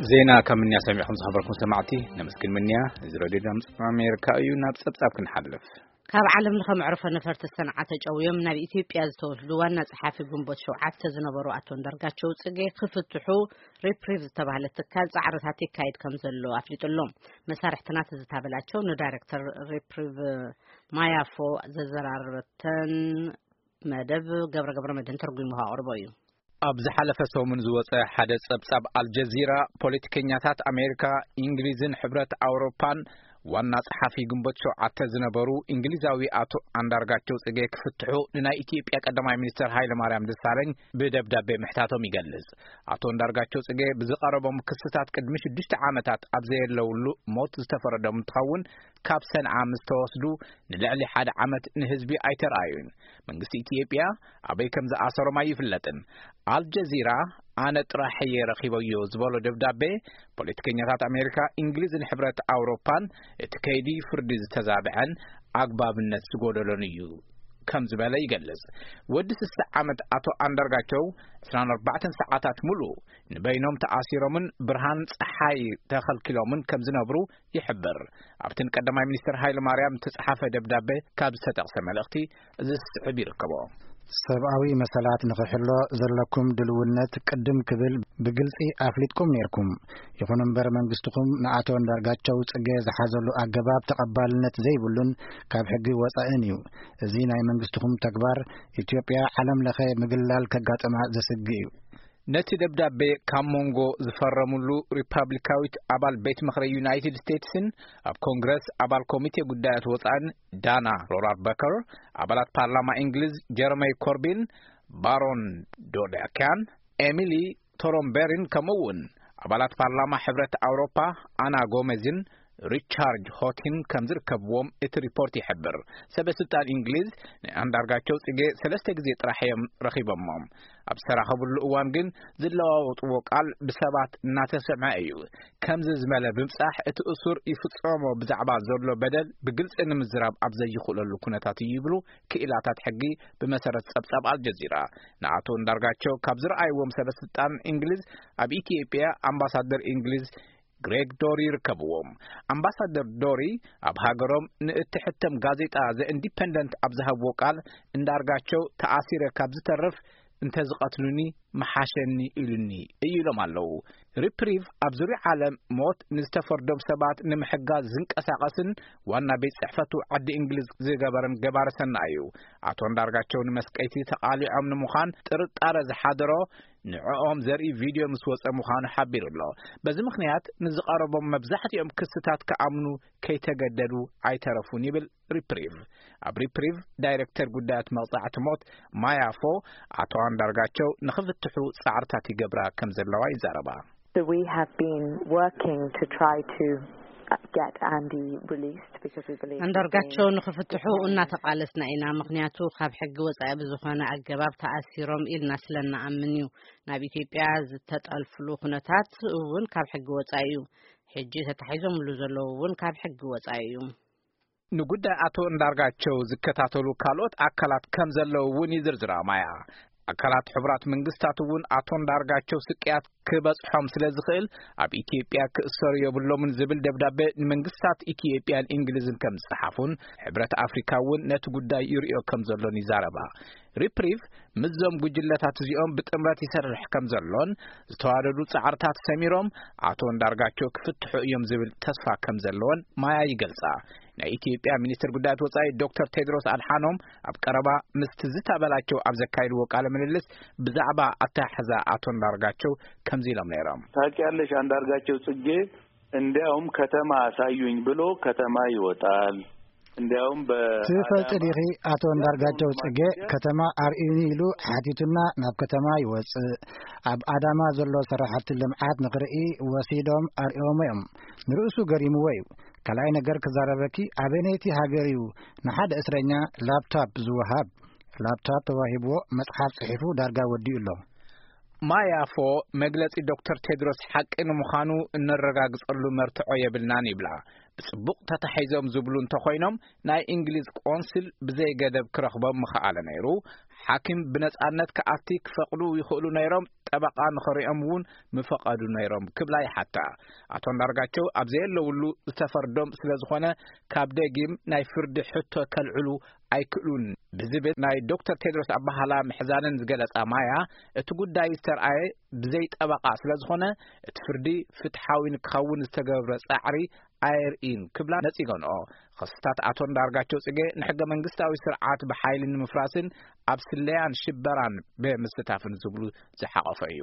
ዜና ካብ ምንያ ሰሚዕኩም ዝኸበርኩም ሰማዕቲ ነመስግን። ምንያ፣ እዚ ሬድዮ ድምፂ ኣሜሪካ እዩ። ናብ ጸብጻብ ክንሓልፍ። ካብ ዓለም ለኸ መዕርፎ ነፈርቲ ሰንዓ ተጨውዮም ናብ ኢትዮጵያ ዝተወስዱ ዋና ጸሓፊ ግንቦት ሸውዓተ ዝነበሩ ኣቶ እንዳርጋቸው ጽጌ ክፍትሑ ሪፕሪቭ ዝተባህለ ትካል ጻዕርታት ይካየድ ከም ዘሎ ኣፍሊጡ ኣሎ። መሳርሕትና ትዝታ በላቸው ንዳይሬክተር ሪፕሪቭ ማያፎ ዘዘራረበተን መደብ ገብረ ገብረ መድህን ተርጉሙ ኣቕርቦ እዩ። ኣብ ዝሓለፈ ሰሙን ዝወጸ ሓደ ጸብጻብ ኣልጀዚራ፣ ፖለቲከኛታት ኣሜሪካ፣ እንግሊዝን ሕብረት ኣውሮፓን ዋና ጸሓፊ ግንቦት ሸውዓተ ዝነበሩ እንግሊዛዊ ኣቶ ኣንዳርጋቸው ጽጌ ክፍትሑ ንናይ ኢትዮጵያ ቀዳማይ ሚኒስተር ሃይለ ማርያም ደሳለኝ ብደብዳቤ ምሕታቶም ይገልጽ። ኣቶ ኣንዳርጋቸው ጽጌ ብዝቐረቦም ክስታት ቅድሚ ሽዱሽተ ዓመታት ኣብ ዘየለውሉ ሞት ዝተፈረዶም እንትኸውን፣ ካብ ሰንዓ ምስ ተወስዱ ንልዕሊ ሓደ ዓመት ንህዝቢ ኣይተረኣዩን። መንግስቲ ኢትዮጵያ ኣበይ ከም ዝኣሰሮም ኣይፍለጥን። ኣልጀዚራ ኣነ ጥራሕ እየ ረኺበዮ ዝበሎ ደብዳቤ፣ ፖለቲከኛታት ኣሜሪካ፣ እንግሊዝን ሕብረት ኣውሮፓን እቲ ከይዲ ፍርዲ ዝተዛብዐን ኣግባብነት ዝጎደሎን እዩ ከም ዝበለ ይገልጽ። ወዲ ስሳ ዓመት ኣቶ ኣንዳርጋቸው ዕስራን ኣርባዕተን ሰዓታት ሙሉእ ንበይኖም ተኣሲሮምን ብርሃን ጸሓይ ተኸልኪሎምን ከም ዝነብሩ ይሕብር። ኣብቲ ንቀዳማይ ሚኒስትር ሃይለ ማርያም ዝተጻሓፈ ደብዳቤ ካብ ዝተጠቕሰ መልእኽቲ እዚ ዝስዕብ ይርከቦ። ሰብኣዊ መሰላት ንኽሕሎ ዘለኩም ድልውነት ቅድም ክብል ብግልጺ ኣፍሊጥኩም ነይርኩም። ይኹን እምበር መንግስትኹም ንኣቶ እንዳርጋቸው ጽጌ ዝሓዘሉ ኣገባብ ተቐባልነት ዘይብሉን ካብ ሕጊ ወጻእን እዩ። እዚ ናይ መንግስትኹም ተግባር ኢትዮጵያ ዓለም ለኸ ምግላል ከጋጥማ ዘስግእ እዩ። ነቲ ደብዳቤ ካብ መንጎ ዝፈረምሉ ሪፓብሊካዊት ኣባል ቤት ምኽሪ ዩናይትድ ስቴትስን ኣብ ኮንግረስ ኣባል ኮሚቴ ጉዳያት ወጻእን ዳና ሮራር በከር፣ ኣባላት ፓርላማ እንግሊዝ ጀረማይ ኮርቢን፣ ባሮን ዶዳኪያን፣ ኤሚሊ ቶሮምቤሪን፣ ከምኡ እውን ኣባላት ፓርላማ ሕብረት ኣውሮፓ ኣና ጎሜዝን ሪቻርድ ሆቲን ከም ዝርከብዎም እቲ ሪፖርት ይሕብር። ሰበ ስልጣን እንግሊዝ ንኣንዳርጋቸው ጽጌ ሰለስተ ግዜ ጥራሕ እዮም ረኺቦሞም። ኣብ ዝተራኸብሉ እዋን ግን ዝለዋወጥዎ ቃል ብሰባት እናተሰምዐ እዩ። ከምዚ ዝበለ ብምጻሕ እቲ እሱር ይፍጸሞ ብዛዕባ ዘሎ በደል ብግልጺ ንምዝራብ ኣብ ዘይኽእለሉ ኩነታት እዩ ይብሉ ክኢላታት ሕጊ፣ ብመሰረት ጸብጻብ ኣልጀዚራ። ንኣቶ እንዳርጋቸው ካብ ዝረኣይዎም ሰበ ስልጣን እንግሊዝ ኣብ ኢትዮጵያ ኣምባሳደር እንግሊዝ ግሬግ ዶሪ ይርከብዎም። ኣምባሳደር ዶሪ ኣብ ሃገሮም ንእትሕተም ጋዜጣ ዘ ኢንዲፐንደንት ኣብ ዝሃብዎ ቃል፣ እንዳርጋቸው ተኣሲረ ካብ ዝተርፍ እንተዝቐትሉኒ ምሓሸኒ ኢሉኒ እዩ ኢሎም ኣለዉ። ሪፕሪቭ ኣብ ዙርያ ዓለም ሞት ንዝተፈርዶም ሰባት ንምሕጋዝ ዝንቀሳቐስን ዋና ቤት ጽሕፈቱ ዓዲ እንግሊዝ ዝገበረን ገባሪ ሰናይ እዩ። ኣቶ እንዳርጋቸው ንመስቀይቲ ተቓሊዖም ንምዃን ጥርጣረ ዝሓደሮ ንዕኦም ዘርኢ ቪድዮ ምስ ወጸ ምዃኑ ሓቢሩ ኣሎ። በዚ ምኽንያት ንዝቐረቦም መብዛሕትኦም ክስታት ክኣምኑ ከይተገደዱ ኣይተረፉን ይብል ሪፕሪቭ። ኣብ ሪፕሪቭ ዳይሬክተር ጉዳያት መቕጻዕቲ ሞት ማያፎ፣ ኣቶ ኣንዳርጋቸው ንኽፍትሑ ጻዕርታት ይገብራ ከም ዘለዋ ይዛረባ። So we have been working to try to get Andy released because we believe that he's ኣንዳርጋቸው being ንኽፍትሑ እናተቓለስና ኢና። ምኽንያቱ ካብ ሕጊ ወጻኢ ብዝኾነ ኣገባብ ተኣሲሮም ኢልና ስለ እንኣምን እዩ። ናብ ኢትዮጵያ ዝተጠልፍሉ ኩነታት እውን ካብ ሕጊ ወጻኢ እዩ። ሕጂ ተታሒዞምሉ ዘለዉ እውን ካብ ሕጊ ወጻኢ እዩ። ንጉዳይ ኣቶ እንዳርጋቸው ዝከታተሉ ካልኦት ኣካላት ከም ዘለዉ እውን ይዝርዝራ ማያ። ኣካላት ሕቡራት መንግስታት እውን ኣቶ እንዳርጋቸው ስቅያት ክበጽሖም ስለ ዝኽእል ኣብ ኢትዮጵያ ክእሰሩ የብሎምን ዝብል ደብዳቤ ንመንግስታት ኢትዮጵያን እንግሊዝን ከም ዝጸሓፉን ሕብረት ኣፍሪካ እውን ነቲ ጉዳይ ይርእዮ ከም ዘሎን ይዛረባ። ሪፕሪቭ ምስዞም ጉጅለታት እዚኦም ብጥምረት ይሰርሕ ከም ዘሎን ዝተዋደዱ ጻዕርታት ሰሚሮም ኣቶ እንዳርጋቸው ክፍትሑ እዮም ዝብል ተስፋ ከም ዘለዎን ማያ ይገልጻ። ናይ ኢትዮጵያ ሚኒስትር ጉዳያት ወጻኢ ዶክተር ቴድሮስ ኣድሓኖም ኣብ ቀረባ ምስ ትዝታ በላቸው ኣብ ዘካይድዎ ቃለ ምልልስ ብዛዕባ ኣተሓሕዛ ኣቶ እንዳርጋቸው ከምዚ ኢሎም ነይሮም። ታውቂያለሽ፣ አንዳርጋቸው ጽጌ እንዲያውም ከተማ አሳዩኝ ብሎ ከተማ ይወጣል። እንዲያውም በ- ትፈልጢ ዲኺ፣ ኣቶ እንዳርጋቸው ጽጌ ከተማ ኣርእዩኒ ኢሉ ሓቲቱና ናብ ከተማ ይወጽእ። ኣብ ኣዳማ ዘሎ ስራሕቲ ልምዓት ንኽርኢ ወሲዶም ኣርእዮሞ እዮም። ንርእሱ ገሪምዎ እዩ። ካልኣይ ነገር ክዛረበኪ፣ ኣበየነይቲ ሃገር እዩ ንሓደ እስረኛ ላፕቶፕ ዝወሃብ? ላፕቶፕ ተዋሂብዎ መጽሓፍ ጽሒፉ ዳርጋ ወዲኡ ኣሎ። ማያፎ መግለጺ ዶክተር ቴድሮስ ሓቂ ንምዃኑ እነረጋግጸሉ መርትዖ የብልናን ይብላ። ብጽቡቕ ተታሒዞም ዝብሉ እንተኾይኖም ናይ እንግሊዝ ቆንስል ብዘይ ገደብ ክረኽቦም ምኸኣለ ነይሩ። ሓኪም ብነጻነት ክኣቲ ክፈቕዱ ይኽእሉ ነይሮም፣ ጠበቓ ንኸሪኦም እውን ምፈቐዱ ነይሮም ክብላ ይሓታ። ኣቶ ኣንዳርጋቸው ኣብ ዘየለውሉ ዝተፈርዶም ስለ ዝኾነ፣ ካብ ደጊም ናይ ፍርዲ ሕቶ ከልዕሉ ኣይክእሉን ብዝብል ናይ ዶክተር ቴድሮስ ኣባሃላ ምሕዛንን ዝገለጻ ማያ፣ እቲ ጉዳይ ዝተርኣየ ብዘይ ጠበቓ ስለ ዝኾነ፣ እቲ ፍርዲ ፍትሓዊ ንክኸውን ዝተገብረ ጻዕሪ ኣየርእይን ክብላ ነጺገንኦ። ክስታት ኣቶ እንዳርጋቸው ጽጌ ንሕገ መንግስታዊ ስርዓት ብሓይሊ ንምፍራስን ኣብ ስለያን ሽበራን ብምስታፍን ዝብሉ ዝሓቐፈ እዩ።